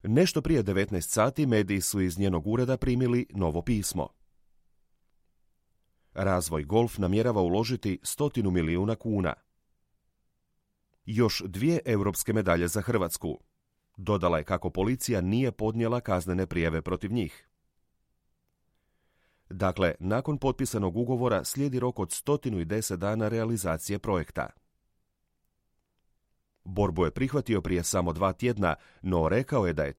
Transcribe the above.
Nešto prije 19 sati mediji su iz njenog ureda primili novo pismo. Razvoj Golf namjerava uložiti 100 milijuna kuna. Još 2 europske medalje za Hrvatsku. Dodala je kako policija nije podnijela kaznene prijave protiv njih. Dakle, nakon potpisanog ugovora slijedi rok od 110 dana realizacije projekta. Borbu je prihvatio prije samo 2 tjedna, no rekao je da je